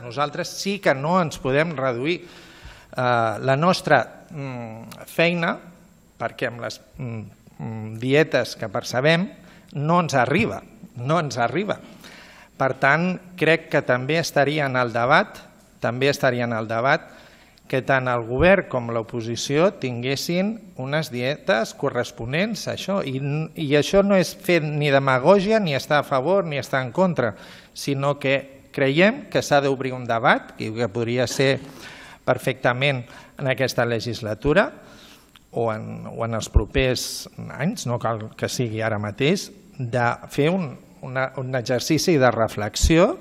Nosaltres sí que no ens podem reduir la nostra feina perquè amb les dietes que percebem no ens arriba. Per tant, crec que també estaria en el debat que tant el govern com l'oposició tinguessin unes dietes corresponents a això. I això no és fer ni demagògia, ni estar a favor, ni estar en contra, sinó que creiem que s'ha d'obrir un debat, que podria ser perfectament en aquesta legislatura o en els propers anys, no cal que sigui ara mateix, de fer un exercici de reflexió